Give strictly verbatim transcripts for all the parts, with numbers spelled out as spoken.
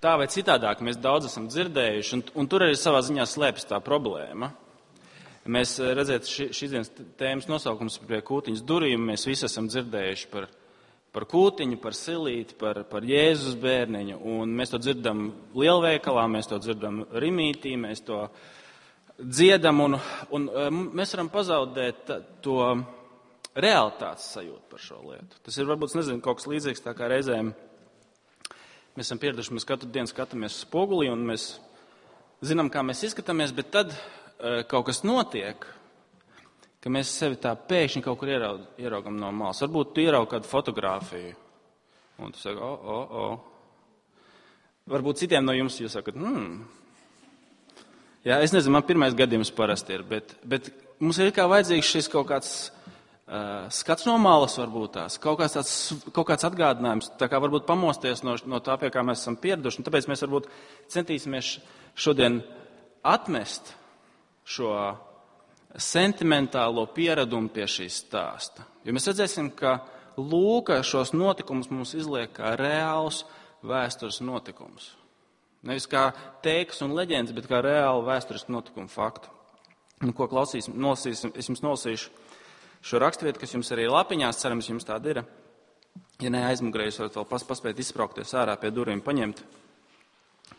tā vai citādāk mēs daudz esam dzirdējuši, un, un tur arī savā ziņā slēpjas tā problēma. Mēs redzēt, šīs dienas tēmas nosaukums pie kūtiņas durvīm, mēs visi esam dzirdējuši par, par kūtiņu, par silīti, par, par Jēzus bērniņu, un mēs to dzirdam lielveikalā, mēs to dzirdam rimītī, mēs to dziedam, un, un mēs varam pazaudēt to realitātes sajūtu par šo lietu. Tas ir varbūt, nezinu, kaut kas līdzīgs, tā kā reizēm mēs esam pieraduši, mēs katru dienu skatāmies spogulī, un mēs zinām, kā mēs izskatāmies, bet tad kaut kas notiek, ka mēs sevi tā pēkšņi kaut kur ieraug, ieraugam no malas. Varbūt tu ieraug kādu fotogrāfiju, un tu saki, o, o, o. Varbūt citiem no jums jūs sakat, hmm. Jā, es nezinu, man pirmais gadījums parasti ir, bet, bet mums ir kā vajadzīgs šis kaut kāds uh, skats no malas varbūt tās, kaut kāds, tāds, kaut kāds atgādinājums, tā kā varbūt pamosties no, no tā, pie kā mēs esam pieraduši, un tāpēc mēs varbūt centīsimies šodien atmest šo sentimentālo pieradumu pie šīs stāsta. Jo mēs redzēsim, ka Lūka šos notikumus mums izliek kā reāls vēstures notikums. Nevis kā teikas un leģendas, bet kā reāli vēsturisku notikumu faktu. Un, ko klausīsim, nolasīsim, es jums nolasīšu šo raksturvietu, kas jums arī lapiņās, cerams, jums tāda ir. Ja ne aizmugurē, jūs varat vēl pas, paspēt izspraukties ārā pie durvīm paņemt.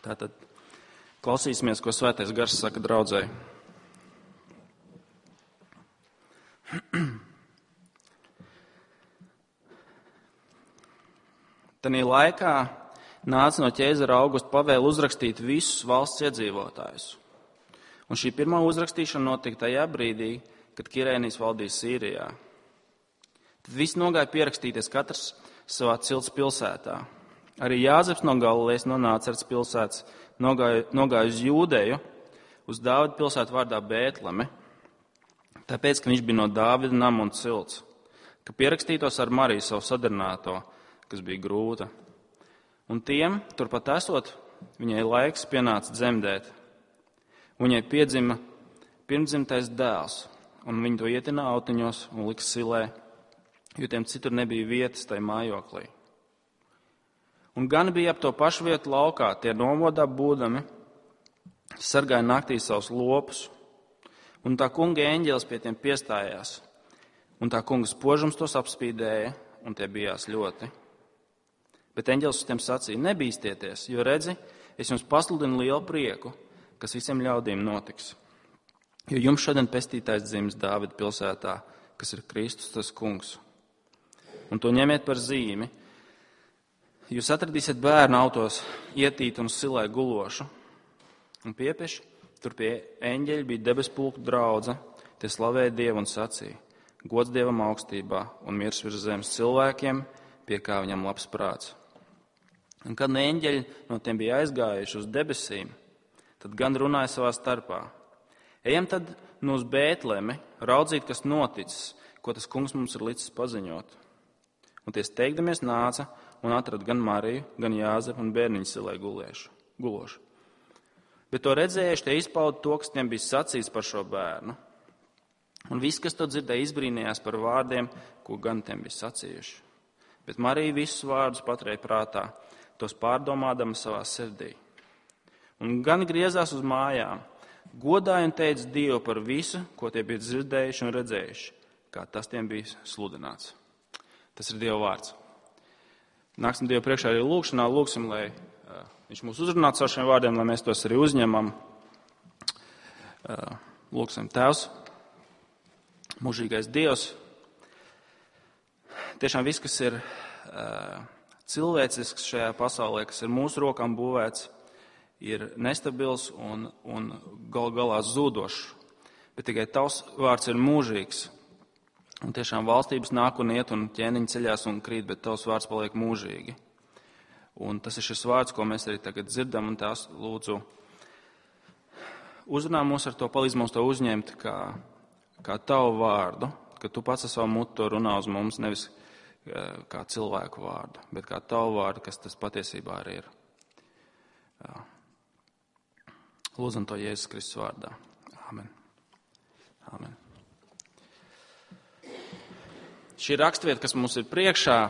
Tātad klausīsimies, ko Svētais Gars saka draudzei. Tanī laikā nāca no ķēzara Augusta pavēle uzrakstīt visus valsts iedzīvotājus. Un šī pirmā uzrakstīšana notika tajā brīdī, kad Kirēnijas valdīja Sīrijā. Tad visi nogāja pierakstīties katrs savā cilts pilsētā. Arī Jāzeps no Galilejas, no Nāceretes pilsētas, nogāja, nogāja uz Jūdeju, uz Dāvida pilsētu vārdā Bētleme, tāpēc, ka viņš bija no Dāvida nama un cilts, ka pierakstītos ar Mariju savu sadarināto, kas bija grūta. Un tiem, turpat esot, viņai laiks pienāca dzemdēt. Viņai piedzima pirmdzimtais dēls, un viņi to ietina autiņos un lika silē, jo tiem citur nebija vietas tai mājoklī. Un gan bija ap to pašu vietu laukā, tie nomodā būdami, sargāja naktī savus lopus, un tā kunga eņģelis pie tiem piestājās, un tā kunga spožums tos apspīdēja, un tie bijās ļoti. Bet eņģelis uz tiem sacīja, nebīstieties, jo redzi, es jums pasludinu lielu prieku, kas visiem ļaudīm notiks. Jo jums šodien pestītājs dzimis Dāvida pilsētā, kas ir Kristus, tas kungs. Un to ņemiet par zīmi. Jūs atradīsiet bērnu autos ietītu un silē gulošu. Un piepieši, tur pie eņģeļa bija debespulku draudze, tie slavēja Dievu un sacīja, gods Dievam augstībā un miers virs zemes cilvēkiem, pie kā viņam labs prāts. Un kad eņģeļi no tiem bija aizgājuši uz debesīm, tad gan runāja savā starpā. Ejam tad nu uz Bētlemi, raudzīt, kas noticis, ko tas kungs mums ir licis paziņot. Un tie steigdamies nāca un atrada gan Mariju, gan Jāzepu un bērniņu silē gulošu. Bet to redzējuši, tie izpauda to, kas tiem bija sacīts par šo bērnu. Un viss, kas to dzirdēja, izbrīnījās par vārdiem, ko gan tiem bija sacījuši. Bet Marija visus vārdus paturēja prātā, tos pārdomādama savā sirdī. Un gan griezās uz mājām, godāja un teica Dievu par visu, ko tie bija dzirdējuši un redzējuši, kā tas tiem bija sludināts. Tas ir Dieva vārds. Nāksim Dievu priekšā arī lūkšanā, lūksim, lai uh, Viņš mūs uzrunātu ar šiem vārdiem, lai mēs tos arī uzņemam. Uh, lūksim, Tēvs, mūžīgais Dievs. Tiešām viss, kas ir uh, cilvēcisks šajā pasaulē, kas ir mūsu rokām būvēts, ir nestabils un, un gal galā zudošs. Bet tikai Tavs vārds ir mūžīgs. Un tiešām valstības nāk un iet un ķēniņi ceļās un krīt, bet Tavs vārds paliek mūžīgi. Un tas ir šis vārds, ko mēs arī tagad dzirdam, un Tās lūdzu uzrunā mūs ar to, palīdz mums to uzņemt kā, kā Tavu vārdu, ka Tu pats ar savu mutu to runā uz mums, nevis kā cilvēku vārdu, bet kā Tavu vārdu, kas tas patiesībā arī ir. Lūdzam to Jēzus Kristus vārdā. Āmen. Āmen. Šī rakstvieta, kas mums ir priekšā,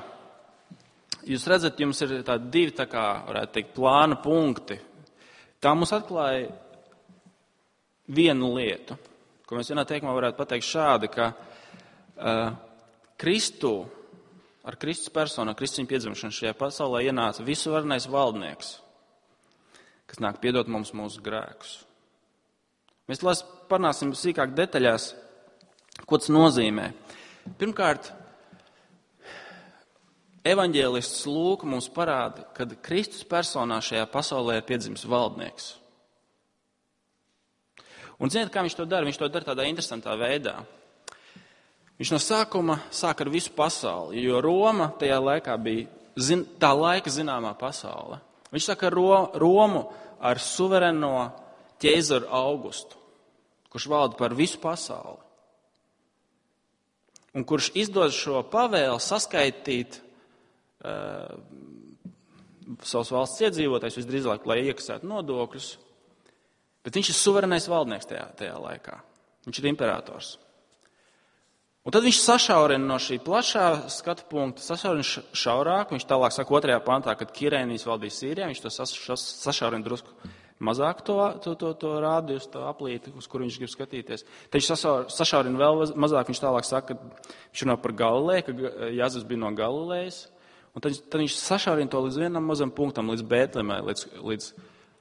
jūs redzat, jums ir tādi divi, tā kā, varētu teikt, plāna punkti. Tā mums atklāja vienu lietu, ko mēs vienā teikumā varētu pateikt šādi, ka uh, Kristu, ar Kristus personu, ar Kristus piedzimšanu šajā pasaulē ienāca visuvarenais valdnieks, kas nāk piedot mums mūsu grēkus. Mēs lās parunāsim sīkāk detaļās, ko tas nozīmē. Pirmkārt, evaņģēlists Lūka mums parāda, ka Kristus personā šajā pasaulē ir piedzimis valdnieks. Un ziniet, kā viņš to dara? Viņš to dara tādā interesantā veidā. Viņš no sākuma sāk ar visu pasauli, jo Roma tajā laikā bija zin, tā laika zināmā pasaule. Viņš saka ar Ro, Romu ar suvereno ķeizaru Augustu, kurš valda par visu pasauli. Un kurš izdod šo pavēlu saskaitīt uh, savus valsts iedzīvotājus, visdrīzāk, lai iekasētu nodokļus. Bet viņš ir suverenais valdnieks tajā, tajā laikā. Viņš ir imperators. Un tad viņš sašaurina no šī plašā skatu punkta, sašaurina šaurāk. Viņš tālāk saka otrajā pantā, kad Kirēnijas valdīja Sīrijā, viņš to sašaurina drusku mazāk to, to, to, to rādījus, to aplīti, uz kuru viņš grib skatīties. Tad viņš sašaurina vēl mazāk, viņš tālāk saka, ka viņš runā par Galileju, ka Jāzeps bija no Galilejas. Un tad, tad viņš sašaurina to līdz vienam mazam punktam, līdz Bētlemai, līdz, līdz,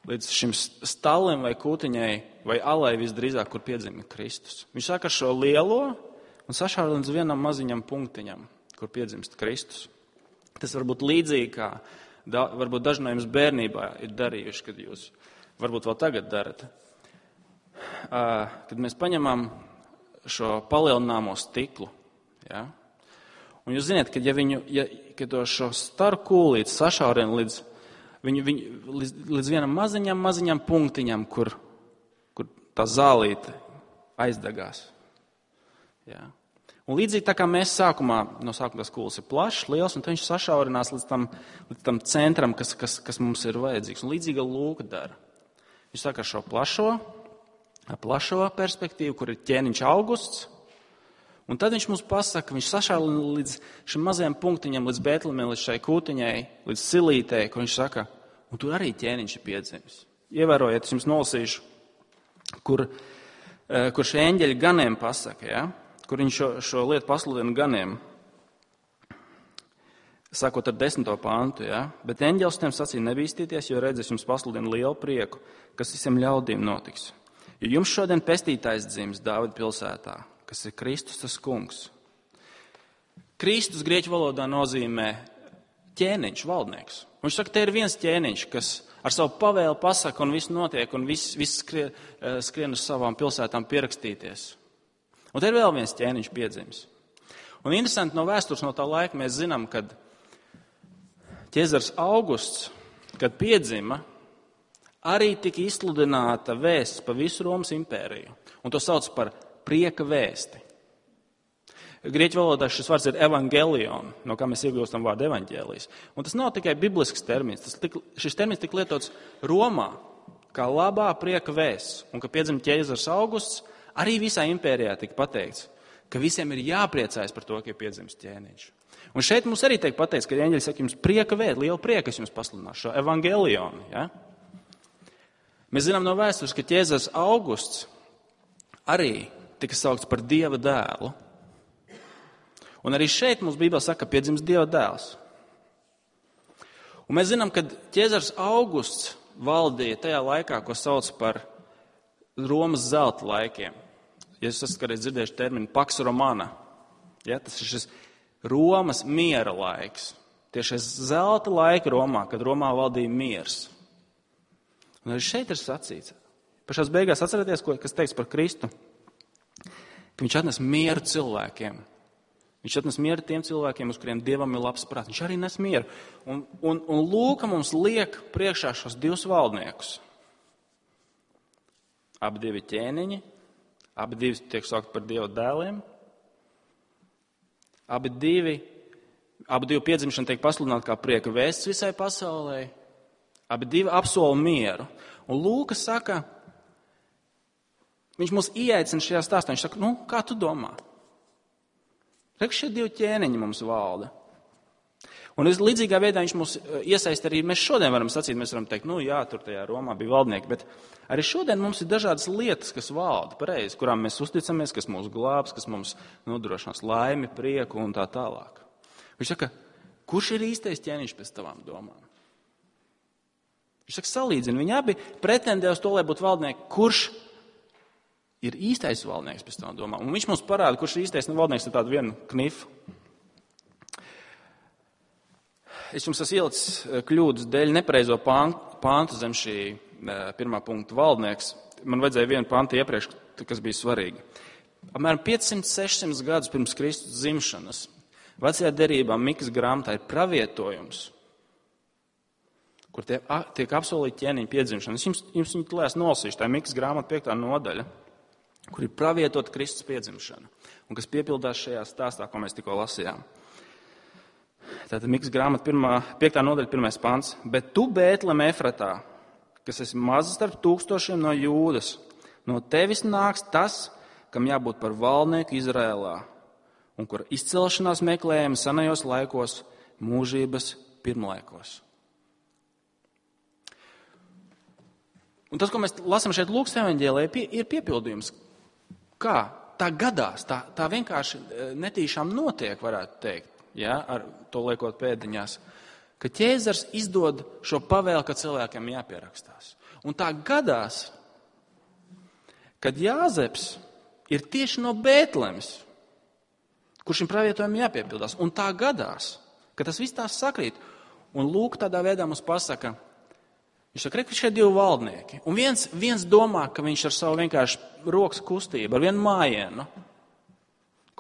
līdz šim stallim vai kūtiņai vai alai visdrīzāk, kur piedzima Kristus. Viņš saka šo lielo un sašaurina līdz vienam maziņam punktiņam, kur piedzimst Kristus. Tas var būt līdzīgi, kā da, varbūt daži no jums bērnībā ir darījuši, kad jūs varbūt vēl tagad darat. Kad mēs paņemam šo palielināmo stiklu, ja? Un jūs zināt, ka ja viņu, ja, kad to šo staru kūlīti sašaurina līdz, viņu, viņu, līdz, līdz vienam maziņam, maziņam punktiņam, kur, kur tā zālīte aizdegās. Ja? Un līdzīgi tā kā mēs sākumā, no sākuma tas kūlis ir plašs, liels, un tad viņš sašaurinās līdz tam, līdz tam centram, kas, kas, kas mums ir vajadzīgs. Un līdzīga Lūka dara. Viņš saka šo plašo, plašo perspektīvu, kur ir ķēniņš Augusts, un tad viņš mums pasaka, viņš sašaurina līdz šim mazajam punktiņam, līdz Bētlemē, līdz šai kūtiņai, līdz silītei, kur viņš saka, un tur arī ķēniņš ir piedzimis. Ievērojiet, es jums nolasīšu, kur, kur šie eņģeļi ganiem pasaka, ja? Kur viņš šo, šo lietu pasludina ganiem. Sākot ar desmito pantu, ja? Bet eņģelis tiem sacīja nebīstīties, jo redz, es jums pasludinu lielu prieku, kas visiem ļaudīm notiks. Jo jums šodien pestītājs dzims Dāvida pilsētā, kas ir Kristus tas kungs. Kristus grieķu valodā nozīmē ķēniņš, valdnieks. Viņš saka, te ir viens ķēniņš, kas ar savu pavēlu pasaka un viss notiek un viss, viss skrien, skrien uz savām pilsētām pierakstīties. Un te ir vēl viens ķēniņš piedzimis. Un interesanti no vēstures no tā laika mēs zinām, kad ķēzars Augusts, kad piedzima, arī tika izsludināta vēsts pa visu Romas impēriju. Un to sauc par prieka vēsti. Grieķu valodā šis vārds ir evangelion, no kā mēs iegūstam vārdu evaņģēlijs. Un tas nav tikai biblisks termins. Tas tik, šis termins tika lietots Romā kā labā prieka vēsts. Un, kad piedzima ķēzars Augusts, arī visā impērijā tika pateikts, ka visiem ir jāpriecājas par to, ka ir piedzimis ķēniņš. Un šeit mums arī tiek pateikts, ka eņģeļi saka, jums prieka vēst, liela prieka, es jums pasludināšu šo evangelionu. Ja? Mēs zinām no vēstures, ka ķēzars Augusts arī tika saukts par Dieva dēlu. Un arī šeit mums Bībelē saka, ka piedzims Dieva dēls. Un mēs zinām, ka ķēzars Augusts valdīja tajā laikā, ko sauc par Romas zelta laikiem. Ja jūs esat kādreiz dzirdējuši terminu Pax Romana, ja, tas ir šis Romas miera laiks. Tieši zelta laika Romā, kad Romā valdīja miers. Un arī šeit ir sacīts. Pašās beigās atcerieties, kas teiks par Kristu, ka viņš atnes mieru cilvēkiem. Viņš atnes mieru tiem cilvēkiem, uz kuriem Dievam ir labs prāts. Viņš arī nes mieru. Un, un, un Lūka mums liek priekšā šos divus valdniekus. Abi divi ķēniņi, abi divi tiek saukt par Dieva dēliem. Abi divi, abi divi piedzimšana tiek pasludināta kā prieka vēsts visai pasaulē. Abi divi apsola mieru. Un Lūka saka, viņš mūs ieaicina šajā stāstā. Viņš saka, nu, kā tu domā? Rek, šie divi ķēniņi mums valda. Un līdzīgā veidā viņš mūs iesaist arī, mēs šodien varam sacīt, mēs varam teikt, nu jā, tur tajā Romā bija valdnieki, bet arī šodien mums ir dažādas lietas, kas valda pareizi, kurām mēs uzticamies, kas mūs glābs, kas mums nodrošinās laimi, prieku un tā tālāk. Viņš saka, kurš ir īstais ķēniņš pēc tavām domām? Viņš saka, salīdzina, viņi abi pretendē uz to, lai būtu valdnieki, kurš ir īstais valdnieks pēc tavām domām. Un viņš mums parāda, kurš ir īstais valdnieks ar tādu vienu knifu. Es jums esmu ielicis kļūdas dēļ nepareizo pāntu zem šī pirmā punkta valdnieks. Man vajadzēja vienu pāntu iepriekš, kas bija svarīgi. Apmēram piecsimt sešsimt gadus pirms Kristus dzimšanas vecajā derībā Mikas grāmatā ir pravietojums, kur tiek, tiek apsolīta ķēniņa piedzimšana. Es jums, jums viņu tulēs nolasīšu. Tā ir Mikas grāmata piektā nodaļa, kur ir pravietota Kristus piedzimšana un kas piepildās šajā stāstā, ko mēs tikko lasījām. Tātad Mikas grāmata pirmā, piektā nodaļa, pirmais pants. Bet tu, Bētlem Efratā, kas esi maza starp tūkstošiem no Jūdas, no tevis nāks tas, kam jābūt par valdnieku Izrēlā, un kura izcelšanās meklējama senajos laikos, mūžības pirmlaikos. Un tas, ko mēs lasām šeit Lūkas evaņģēlijā, ir piepildījums. Kā? Tā gadās, tā, tā vienkārši netīšām notiek, varētu teikt. Ja, ar to liekot pēdiņās, ka ķēzars izdod šo pavēli, ka cilvēkiem jāpierakstās. Un tā gadās, kad Jāzeps ir tieši no Bētlemes, kur šim pravietojumam jāpiepildās. Un tā gadās, ka tas viss tās sakrīt. Un Lūk tādā veidā mums pasaka, viņš saka, ka šie divi valdnieki. Un viens, viens domā, ka viņš ar savu vienkārši rokas kustību, ar vienu mājienu,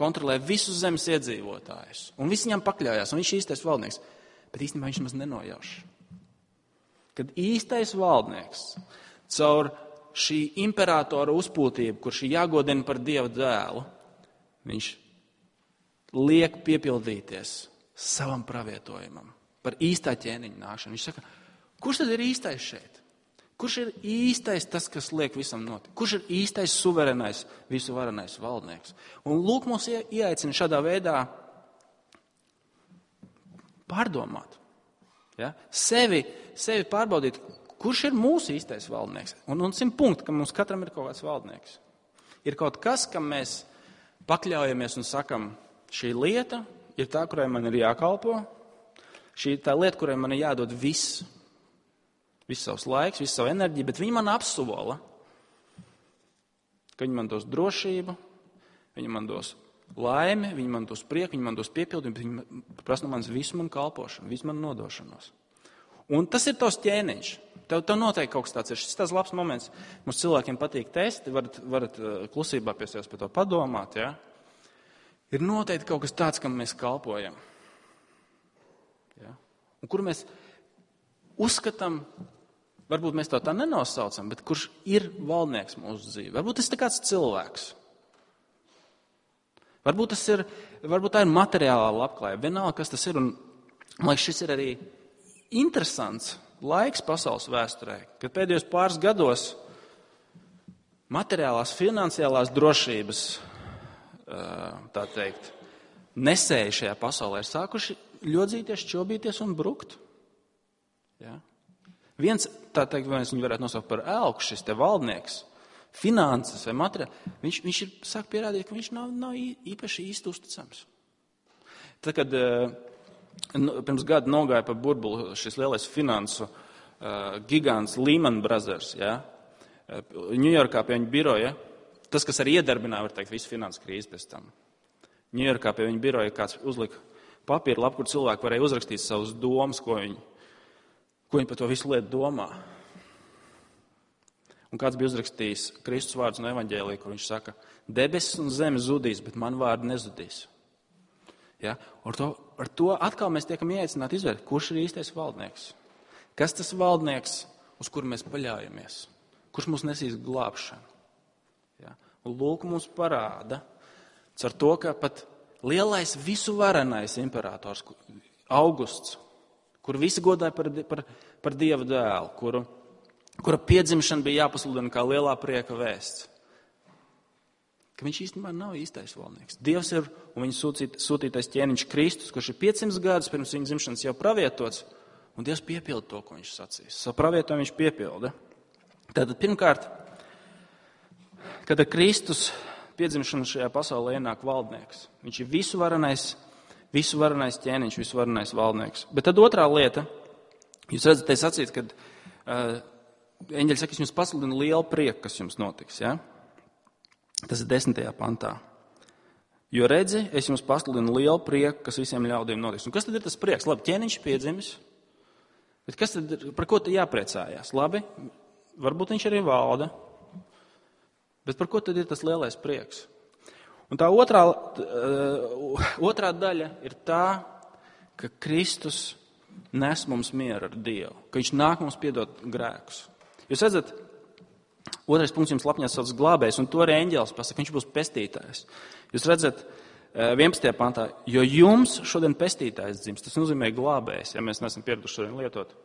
kontrolē visus zemes iedzīvotājus. Un visi viņam pakļaujās, un viņš ir īstais valdnieks. Bet īstenībā viņš maz nenojauš. Kad īstais valdnieks caur šī imperatora uzpūtību, kurš ir jāgodina par Dieva dēlu, viņš liek piepildīties savam pravietojumam par īstā ķēniņa nākšanu. Viņš saka, kurš tad ir īstais šeit? Kurš ir īstais tas, kas liek visam notikt? Kurš ir īstais suverenais, visu varenais valdnieks? Un Lūk mūs ieaicina šādā veidā pārdomāt. Ja? Sevi, sevi pārbaudīt, kurš ir mūsu īstais valdnieks. Un, un simt punkti, ka mums katram ir kaut kāds valdnieks. Ir kaut kas, kam mēs pakļaujamies un sakam, šī lieta ir tā, kurai man ir jākalpo. Šī ir tā lieta, kurai man ir jādod viss. Visu savus laiks, visu savu enerģiju, bet viņi man apsola, ka viņi man dos drošību, viņi man dos laimi, viņi man dos prieku, viņi man dos piepildījumu, bet viņi prasa no manis visu manu kalpošanu, visu manu nodošanos. Un tas ir tavs ķēniņš. Tev, tev noteikti kaut kas tāds ir. Šis tāds labs moments. Mums cilvēkiem patīk testi, varat, varat klusībā pie sevis par to padomāt. Ja? Ir noteikti kaut kas tāds, kam mēs kalpojam. Ja? Un kur mēs uzskatām, varbūt mēs to tā nenosaucam, bet kurš ir valdnieks mūsu dzīvē. Varbūt tas ir kāds cilvēks. Varbūt, tas ir, varbūt tā ir materiālā labklājība. Vienalga, kas tas ir. Un, man liekas, šis ir arī interesants laiks pasaules vēsturē, kad pēdējos pāris gados materiālās, finansiālās drošības, tā teikt, nesēji šajā pasaulē ir sākuši ļodzīties, čobīties un brukt. Ja? Viens, tā teikt, viens viņu varētu nosaukt par elku, šis te valdnieks, finanses vai materiāli, viņš, viņš ir sāk pierādīt, ka viņš nav, nav īpaši īsti uzticams. Tad, kad nu, pirms gada nogāja pa burbuli šis lielais finansu uh, gigants Lehman Brothers, ja? Ņujorkā pie viņa biroja, tas, kas arī iedarbināja, var teikt, visu finansu krīzi pēc tam. Ņujorkā pie viņa biroja kāds uzlika papīra lapu, kur cilvēki varēja uzrakstīt savus domas, ko viņi Ko viņi par to visu lietu domā. Un kāds bija uzrakstījis Kristus vārdus no evaņģēlija, kur viņš saka, debesis un zeme zudīs, bet man vārdi nezudīs. Ja? Ar, to, ar to atkal mēs tiekam ieaicināti izvērt, kurš ir īstais valdnieks. Kas tas valdnieks, uz kuru mēs paļaujamies? Kurš mums nesīs glābšanu? Ja? Un Lūk mums parāda, caur to, ka pat lielais visu varenais imperators Augusts, kur visi godāja par, par, par Dieva dēlu, kuru, kura piedzimšana bija jāpasludina kā lielā prieka vēsts. ka viņš īstenībā nav īstais valdnieks. Dievs ir un viņa sūtīt, sūtītais ķēniņš Kristus, kurš ir piecsimt gadus pirms viņa dzimšanas jau pravietots, un Dievs piepilda to, ko viņš sacīs. Savu pravietojumu viņš piepilda. Tātad pirmkārt, kad ar Kristus piedzimšanu šajā pasaulē ienāk valdnieks. Viņš ir visuvarenais, visuvarenais ķēniņš, visuvarenais valdnieks. Bet tad otrā lieta, jūs redzat, te sacīt, kad uh, eņģeļi saka, es jums pasludinu lielu prieku, kas jums notiks. Ja? Tas ir desmitajā pantā. Jo redzi, es jums pasludinu lielu prieku, kas visiem ļaudīm notiks. Un kas tad ir tas prieks? Labi, ķēniņš piedzimis, bet kas tad, par ko tad jāpriecājās? Labi, varbūt viņš arī valda, bet par ko tad ir tas lielais prieks? Un tā otrā, uh, otrā daļa ir tā, ka Kristus nes mums mieru ar Dievu, ka viņš nāk mums piedot grēkus. Jūs redzat, otrais punkts jums lapņās sauc glābējs, un to arī eņģēlis pasaka, viņš būs pestītājs. Jūs redzat, vienpadsmitajā pantā, jo jums šodien pestītājs dzims, tas nozīmē glābējs, ja mēs neesam pieraduši šodien lietot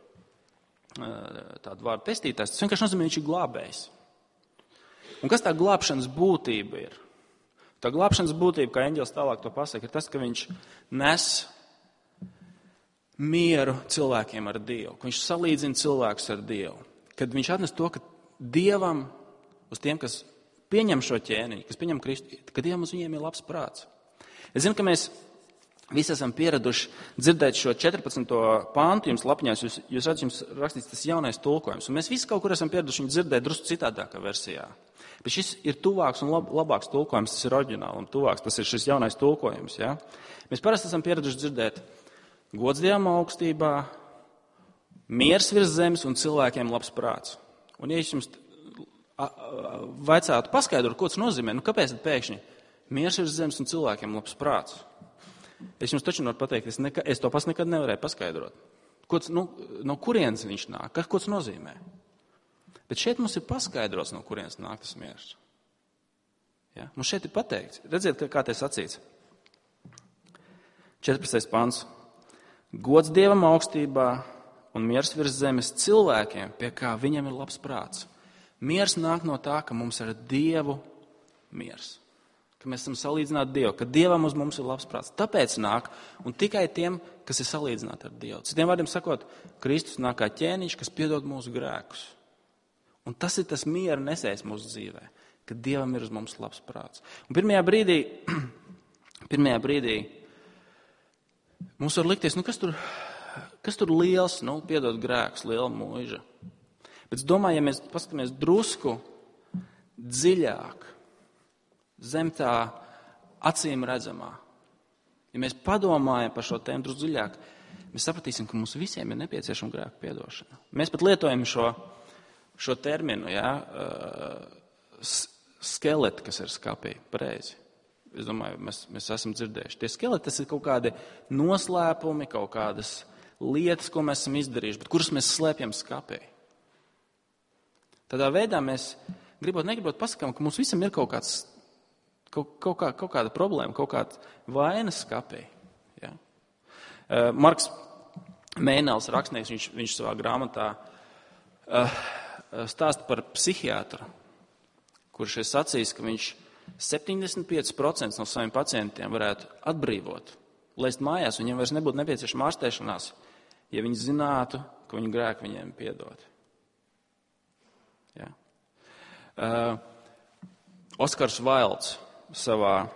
tādu vārdu pestītājs, tas vienkārši nozīmē, viņš ir glābējs. Un kas tā glābšanas būtība ir? Tā glābšanas būtība, kā eņģēlis tālāk to pasaka, ir tas, ka viņš nes mieru cilvēkiem ar Dievu, ka viņš salīdzina cilvēkus ar Dievu, kad viņš atnes to, ka Dievam, uz tiem, kas pieņem šo ķēniņu, kas pieņem Kristu, ka Dievam uz viņiem ir labs prāts. Es zinu, ka mēs visi esam pieraduši dzirdēt šo četrpadsmito pāntu jums lapņās, jūs, jūs redzat, jums rakstīts tas jaunais tulkojums, un mēs visi kaut kur esam pieraduši viņu dzirdēt drusku citādākā versijā. Bet šis ir tuvāks un lab, labāks tulkojums, tas ir oriģināli un tuvāks, tas ir šis jaunais tulkojums. Ja? Mēs parasti esam pieraduši dzirdēt gods Dievam augstībā, miers virs zemes un cilvēkiem labs prāts. Un ja es jums vaicātu paskaidrot, ko tas nozīmē, nu kāpēc tad pēkšņi miers virs zemes un cilvēkiem labs prāts? Es jums taču varu pateikt, es, neka, es to pats nekad nevarēju paskaidrot. Ko tas, nu, no kurienes viņš nāk, kas, ko tas nozīmē? Bet šeit mums ir paskaidrots, no kurienes nāk tas miers. Ja? Mums šeit ir pateikts. Redziet, kā te sacīts. četrpadsmitais pants. Gods Dievam augstībā un miers virs zemes cilvēkiem, pie kā viņam ir labs prāts. Miers nāk no tā, ka mums ir Dievu miers. Ka mēs esam salīdzināti Dievu, ka Dievam uz mums ir labs prāts. Tāpēc nāk, un tikai tiem, kas ir salīdzināti ar Dievu. Citiem vārdiem sakot, Kristus nāk kā ķēniņš, kas piedod mūsu grēkus. Un tas ir tas miera nesējs mūsu dzīvē, ka Dievam ir uz mums labs prāts. Un pirmajā brīdī, pirmajā brīdī mums var likties, nu kas tur, kas tur liels, nu piedod grēkus, liela mūža. Bet es domāju, ja mēs paskatāmies drusku dziļāk, zem tā acīm redzamā, ja mēs padomājam par šo tēmu drusku dziļāk, mēs sapratīsim, ka mums visiem ir nepieciešama grēku piedošana. Mēs pat lietojam šo, šo terminu, ja, skeleti, kas ir skapī, pareizi. Es domāju, mēs, mēs esam dzirdējuši. Tie skeleti, tas ir kaut kādi noslēpumi, kaut kādas lietas, ko mēs esam izdarījuši, bet kuras mēs slēpjam skapī. Tādā veidā mēs, gribot, negribot, pasakām, ka mums visam ir kaut, kāds, kaut, kaut, kā, kaut kāda problēma, kaut kāda vainas skapī. Ja? Uh, Marks Mēnels, rakstnieks, viņš, viņš savā grāmatā uh, stāsta par psihiatru, kurš ir sacījis, ka viņš septiņdesmit pieci procenti no saviem pacientiem varētu atbrīvot, laist mājās, viņiem vairs nebūtu nepieciešama ārstēšanās, ja viņi zinātu, ka viņu grēku viņiem piedod. Ja. Uh, Oskars Vailds savā,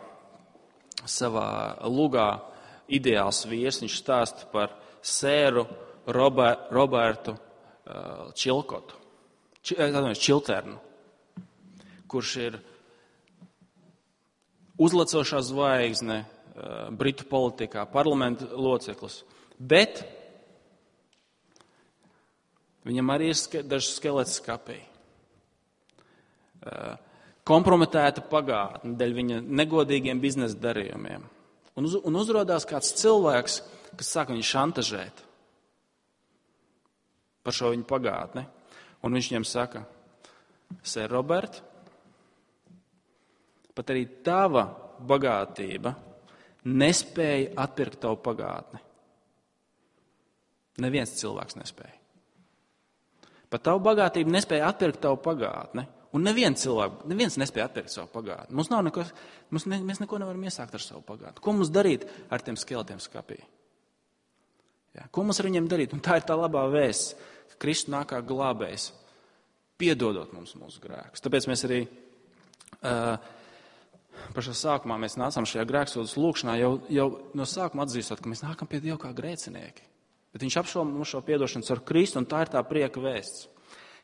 savā lugā Ideāls vīrs, viņš stāsta par sēru Robert, Robertu uh, Čilkotu, Či, Čilternu, kurš ir uzlecošā zvaigzne uh, Britu politikā, parlamenta loceklis. Bet viņam arī ir ske, dažs skelets skapī. Uh, kompromitēta pagātne dēļ viņa negodīgiem biznesa darījumiem. Un, uz, un uzrodās kāds cilvēks, kas sāk viņu šantažēt par šo viņu pagātni. Un viņš viņam saka, Sir Robert, pat arī tava bagātība nespēja atpirkt tavu pagātni. Neviens cilvēks nespēja. Pat tavu bagātību nespēja atpirkt tavu pagātni. Un neviens cilvēks, neviens nespēja atpirkt savu pagātni. Mums nav neko, mums ne, mēs neko nevaram iesākt ar savu pagātni. Ko mums darīt ar tiem skeletiem skapī? Ja, ko mums ar viņiem darīt? Un tā ir tā labā vēsts, ka Kristus nāk kā glābējs, piedodot mums mūsu grēkus. Tāpēc mēs arī uh, pašā sākumā mēs nācām šajā grēksūdzes lūkšanā jau, jau no sākuma atzīstot, ka mēs nākam pie Dieva kā grēcinieki. Bet viņš apšauba mums šo piedošanu ar Kristu, un tā ir tā prieka vēsts,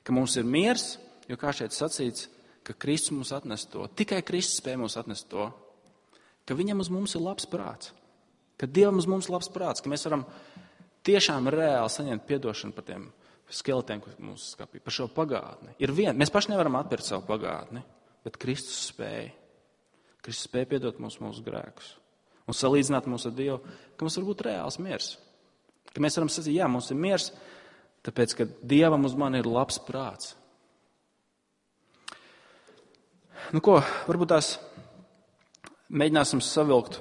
ka mums ir miers, jo kā šeit sacīts, ka Kristus mums atnes to. Tikai Kristus spēj mums atnest to, ka viņam uz mums ir labs prāts, ka Dievam uz mums ir labs prāts, ka mēs varam tiešām reāli saņemt piedošanu par tiem skeletiem, kas mums skapī, par šo pagātni. Ir vien, mēs paši nevaram atpirkt savu pagātni, bet Kristus spēj. Kristus spēj piedot mums mūsu grēkus un salīdzināt mūs ar Dievu, ka mums var būt reāls miers. Ka mēs varam sacīt, jā, mums ir miers, tāpēc, ka Dievam uz mani ir labs prāts. Nu ko, varbūt tās mēģināsim savilkt,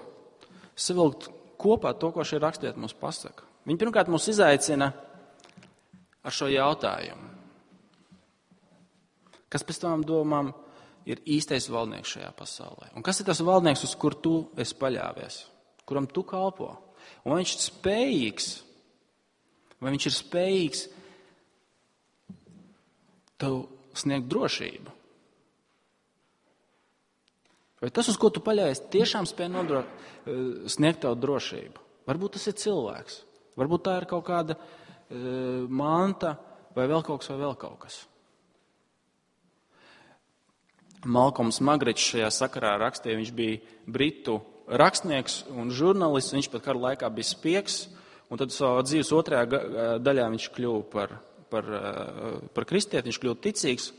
savilkt kopā to, ko šie rakstiet mums pasaka. Viņi pirmkārt mūs izaicina ar šo jautājumu. Kas pēc tām domām ir īstais valdnieks šajā pasaulē? Un kas ir tas valdnieks, uz kur tu esi paļāvies? Kuram tu kalpo? Un vai viņš ir spējīgs, vai viņš ir spējīgs tev sniegt drošību? Vai tas, uz ko tu paļāvies, tiešām spēj nodro, sniegt tev drošību? Varbūt tas ir cilvēks, varbūt tā ir kaut kāda uh, manta, vai vēl kaut kas, vai vēl kaut kas. Malkolms Magričs šajā sakarā rakstīja, viņš bija britu rakstnieks un žurnālists, viņš pat kara laikā bija spiegs, un tad savā dzīves otrajā daļā viņš kļuva par, par, par kristieti, viņš kļuva ticīgs,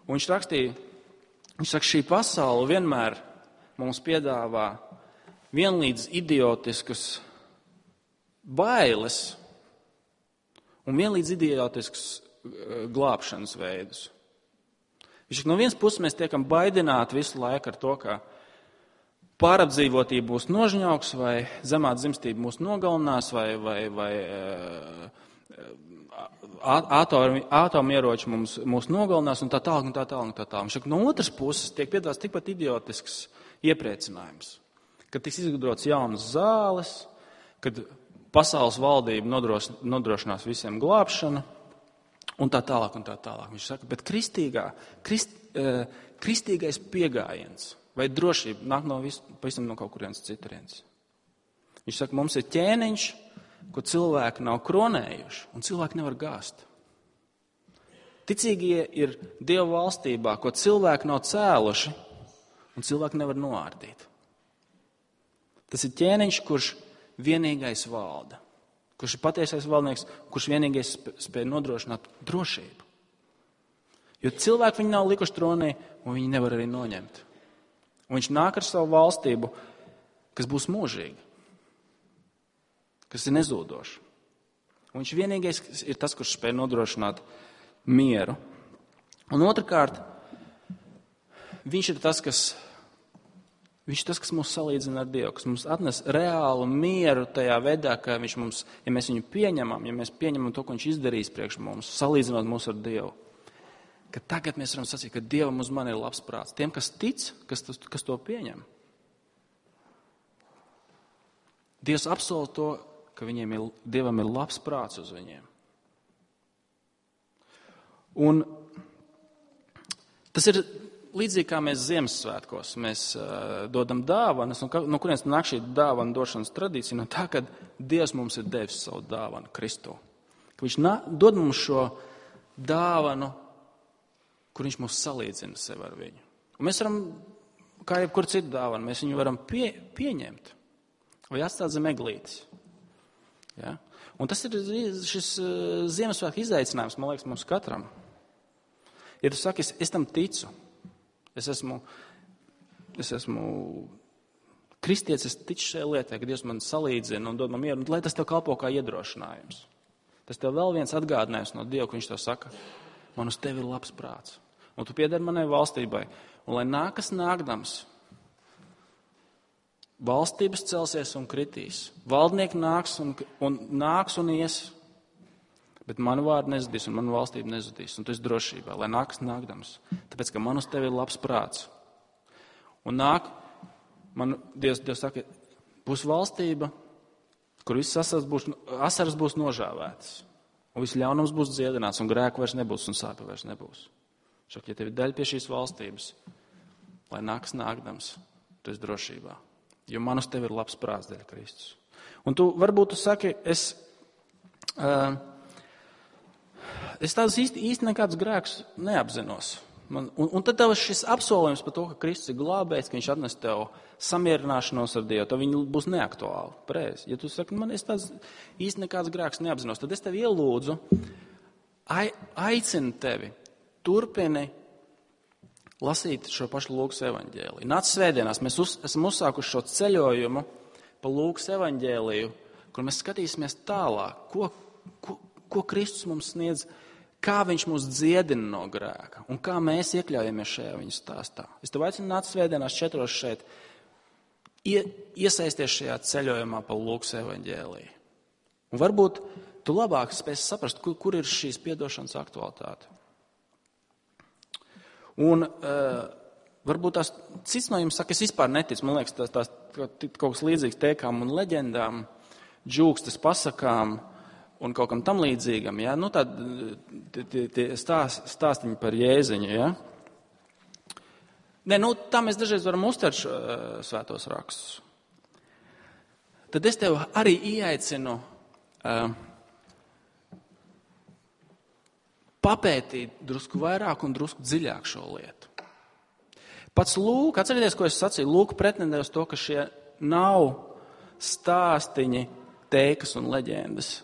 un viņš rakstīja, viņš saka, šī pasaule vienmēr mums piedāvā vienlīdz idiotiskas bailes un vienlīdz idiotiskas glābšanas veidus. Viņš saka, no vienas puses mēs tiekam baidināti visu laiku ar to, ka pārapdzīvotība būs nožņauks, vai zemā dzimstība mūs nogalinās, vai, vai, vai atomieroči mums, mūs nogalinās, un tā tālāk, un tā tālāk, un tā tālāk. Viņš saka, no otras puses tiek piedāvāts tikpat idiotisks iepriecinājums, kad tiks izgudrots jaunas zāles, kad pasaules valdība nodros, nodrošinās visiem glābšanu, un tā tālāk, un tā tālāk. Viņš saka, bet kristīgā, krist, uh, kristīgais piegājiens vai drošība nāk no visu, pavisam no kaut kurienes citurienes. Viņš saka, mums ir ķēniņš, ko cilvēki nav kronējuši, un cilvēki nevar gāzt. Ticīgie ir Dieva valstībā, ko cilvēki nav cēluši, un cilvēki nevar noārdīt. Tas ir ķēniņš, kurš vienīgais valda. Kurš ir patiesais valdnieks, kurš vienīgais spēj nodrošināt drošību. Jo cilvēki viņu nav likuši tronī, un viņi nevar arī noņemt. Un viņš nāk ar savu valstību, kas būs mūžīga, kas ir nezūdoša. Un viņš vienīgais ir tas, kurš spēj nodrošināt mieru. Un otrkārt, viņš ir tas, kas, viņš ir tas, kas mūs salīdzina ar Dievu, kas mums atnes reālu mieru tajā veidā, ka viņš mums, ja mēs viņu pieņemam, ja mēs pieņemam to, ko viņš izdarīs priekš mums, salīdzinot mūs ar Dievu, ka tagad mēs varam sacīt, ka Dievam uz mani ir labs prāts. Tiem, kas tic, kas, tas, kas to pieņem. Dievs apsola to, ka viņiem ir, Dievam ir labs prāts uz viņiem. Un tas ir līdzīgi kā mēs Ziemassvētkos, mēs uh, dodam dāvanas, un no kurienes nāk šī dāvana došanas tradīcija, no tā, ka Dievs mums ir devis savu dāvanu Kristu. Ka viņš nā, dod mums šo dāvanu, kur viņš mūs salīdzina sev ar viņu. Un mēs varam, kā jebkur citu dāvanu, mēs viņu varam pie, pieņemt vai atstāt zem eglītes. Ja? Un tas ir šis uh, Ziemassvētku izaicinājums, man liekas, mums katram. Ja tu saki, es, es tam ticu, es esmu, es esmu kristietis, es ticu šajā lietā, ka Dievs man salīdzina un dod man mieru, un lai tas tev kalpo kā iedrošinājums. Tas tev vēl viens atgādinājums no Dieva, ka viņš tev saka, man uz tevi ir labs prāts, un tu piedari manai valstībai, un lai nākas nākdams, valstības celsies un kritīs, valdnieki nāks un, un nāks un ies, Bet manu vārdu nezudīs un manu valstību nezudīs. Un tu esi drošībā, lai nākas nākdams. Tāpēc, ka man uz tevi ir labs prāts. Un nāk, man Dievs, Dievs saka, būs valstība, kur viss asaras būs, asaras būs nožāvētas. Un viss ļaunums būs dziedināts, un grēku vairs nebūs, un sāpe vairs nebūs. Šak, ja tev ir daļa pie šīs valstības, lai nākas nākdams, tu esi drošībā. Jo man uz tevi ir labs prāts dēļ Kristus. Un tu varbūt tu saki, es, uh, es tādus īsti, īsti nekādus grēkus neapzinos. Man, un, un tad tev šis apsolījums par to, ka Kristus ir glābējs, ka viņš atnes tev samierināšanos ar Dievu, tad viņi būs neaktuāli. Pareizi. Ja tu saki, man es tāds īsti nekāds grēks neapzinos, tad es tev ielūdzu, ai, aicinu tevi, turpini lasīt šo pašu Lūkas evaņģēliju. Nāc svētdienās, mēs uz, esam uzsākuši šo ceļojumu pa Lūkas evaņģēliju, kur mēs skatīsimies tālāk, ko, ko, ko Kristus mums sniedz, kā viņš mūs dziedina no grēka un kā mēs iekļaujamies šajā viņa stāstā. Es tev aicinu nāc svētdienās četros šeit, ie, iesaisties šajā ceļojumā pa Lūkas evaņģēliju. Un varbūt tu labāk spēsi saprast, kur, kur ir šīs piedošanas aktualitāte. Un uh, varbūt tās cits no jums saka, es vispār neticu, man liekas, tās, tās kaut kas līdzīgs tēkām un leģendām, džūkstas pasakām un kaut kam tam līdzīgam, ja? Nu tādi tie stāst, stāstiņi par Jēziņu, ja? Nē, nu tā mēs dažreiz varam uztvert uh, svētos rakstus. Tad es tev arī ieaicinu uh, papētīt drusku vairāk un drusku dziļāk šo lietu. Pats Lūka, atcerieties, ko es sacīju, Lūka pretendē uz to, ka šie nav stāstiņi, tēkas un leģendas.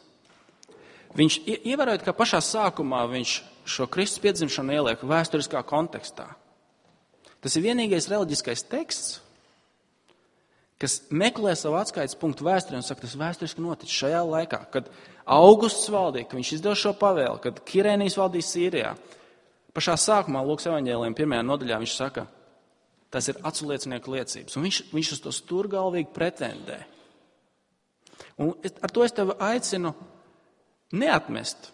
Viņš, ievērojot, ka pašā sākumā viņš šo Kristus piedzimšanu ieliek vēsturiskā kontekstā. Tas ir vienīgais reliģiskais teksts, kas meklē savu atskaites punktu vēsturē un saka, tas vēsturiski noticis šajā laikā, kad Augusts valdīja, ka viņš izdeva šo pavēli, kad Kirēnijs valdīja Sīrijā. Pašā sākumā Lūkas evaņģēlijuma pirmajā nodaļā viņš saka, tas ir aculiecinieku liecības. Un viņš, viņš uz to stūrgalvīgi pretendē. Un ar to es tevi aicinu neatmest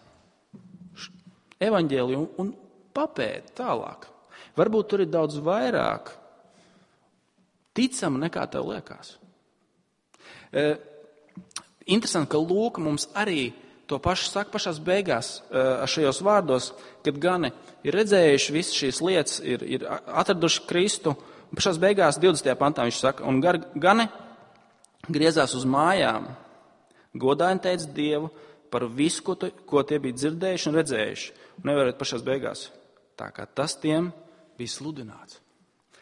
evaņģēliju un papēt tālāk. Varbūt tur ir daudz vairāk ticama nekā tev liekas. E, interesanti, ka Lūka mums arī to pašu saka pašās beigās e, šajos vārdos, kad gani ir redzējuši visas šīs lietas, ir, ir atraduši Kristu, un pašās beigās divdesmitajā pantā viņš saka, un gar, gani griezās uz mājām, godāji teica Dievu par visu, ko, tu, ko tie bija dzirdējuši un redzējuši. Un nevarētu pašās beigās, tā kā tas tiem bija sludināts.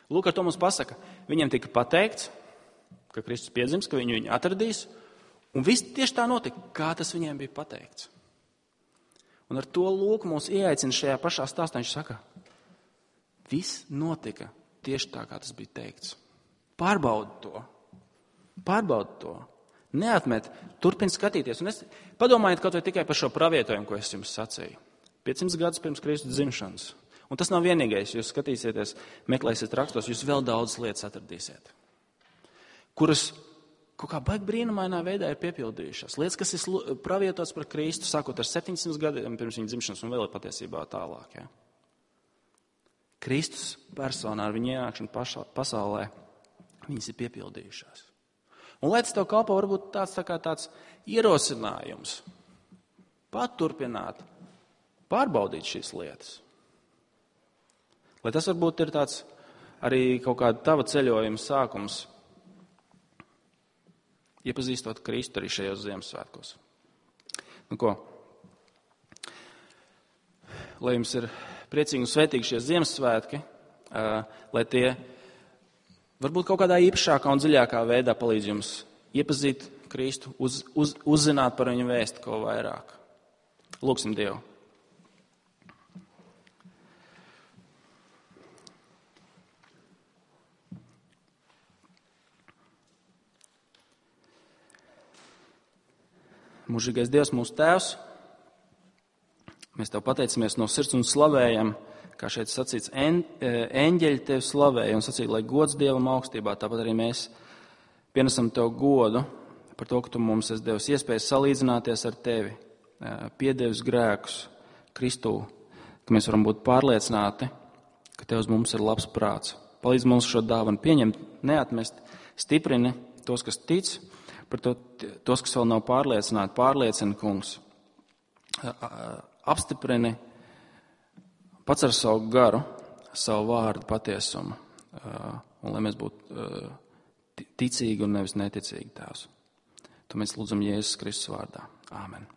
Lūk, ar to mums pasaka, viņiem tika pateikts, ka Kristus piedzims, ka viņu viņu atradīs, un viss tieši tā notika, kā tas viņiem bija pateikts. Un ar to Lūk mūs ieaicina šajā pašā stāstā, viņš saka, viss notika tieši tā, kā tas bija teikts. Pārbaudi to, pārbaudi to, neatmet, turpini skatīties. Un es padomājiet kaut vai tikai par šo pravietojumu, ko es jums sacīju. piecsimt gadus pirms Kristus dzimšanas. Un tas nav vienīgais, jūs skatīsieties, meklēsiet rakstos, jūs vēl daudz lietas atradīsiet, kuras kaut kā baigi brīnumainā veidā ir piepildījušās. Lietas, kas ir pravietotas par Kristu, sākot ar septiņsimt gadiem pirms viņa dzimšanas un vēl ir patiesībā tālāk. Ja? Kristus personā ar viņu ienākšanu pašā, pasaulē, viņas ir piepildījušās. Un lai tas tev kalpo varbūt tāds, tā kā tāds ierosinājums, paturpināt, pārbaudīt šīs lietas. Lai tas varbūt ir tāds arī kaut kāda tava ceļojuma sākums, iepazīstot Kristu arī šajos Ziemassvētkos. Nu ko? Lai jums ir priecīgi un svētīgi šie Ziemassvētki, lai tie varbūt kaut kādā īpašākā un dziļākā veidā palīdz jums iepazīt Kristu, uz, uz, uzzināt par viņu vēstu ko vairāk. Lūksim Dievu. Mūžīgais Dievs, mūsu Tēvs, mēs Tev pateicamies no sirds un slavējam, kā šeit sacīts, eņģeļi Tevi slavēja un sacīja, lai gods Dievam augstībā, tāpat arī mēs pienesam Tev godu par to, ka Tu mums esi devis iespēju salīdzināties ar Tevi, piedevis grēkus Kristū, ka mēs varam būt pārliecināti, ka Tev uz mums ir labs prāts. Palīdz mums šo dāvanu pieņemt, neatmest, stiprini tos, kas tic, par to, tos, kas vēl nav pārliecināti, pārliecina, Kungs. Apstiprini pats ar savu garu, savu vārdu patiesumu, un lai mēs būtu ticīgi un nevis neticīgi, Tēvs. To mēs lūdzam Jēzus Kristus vārdā. Āmen.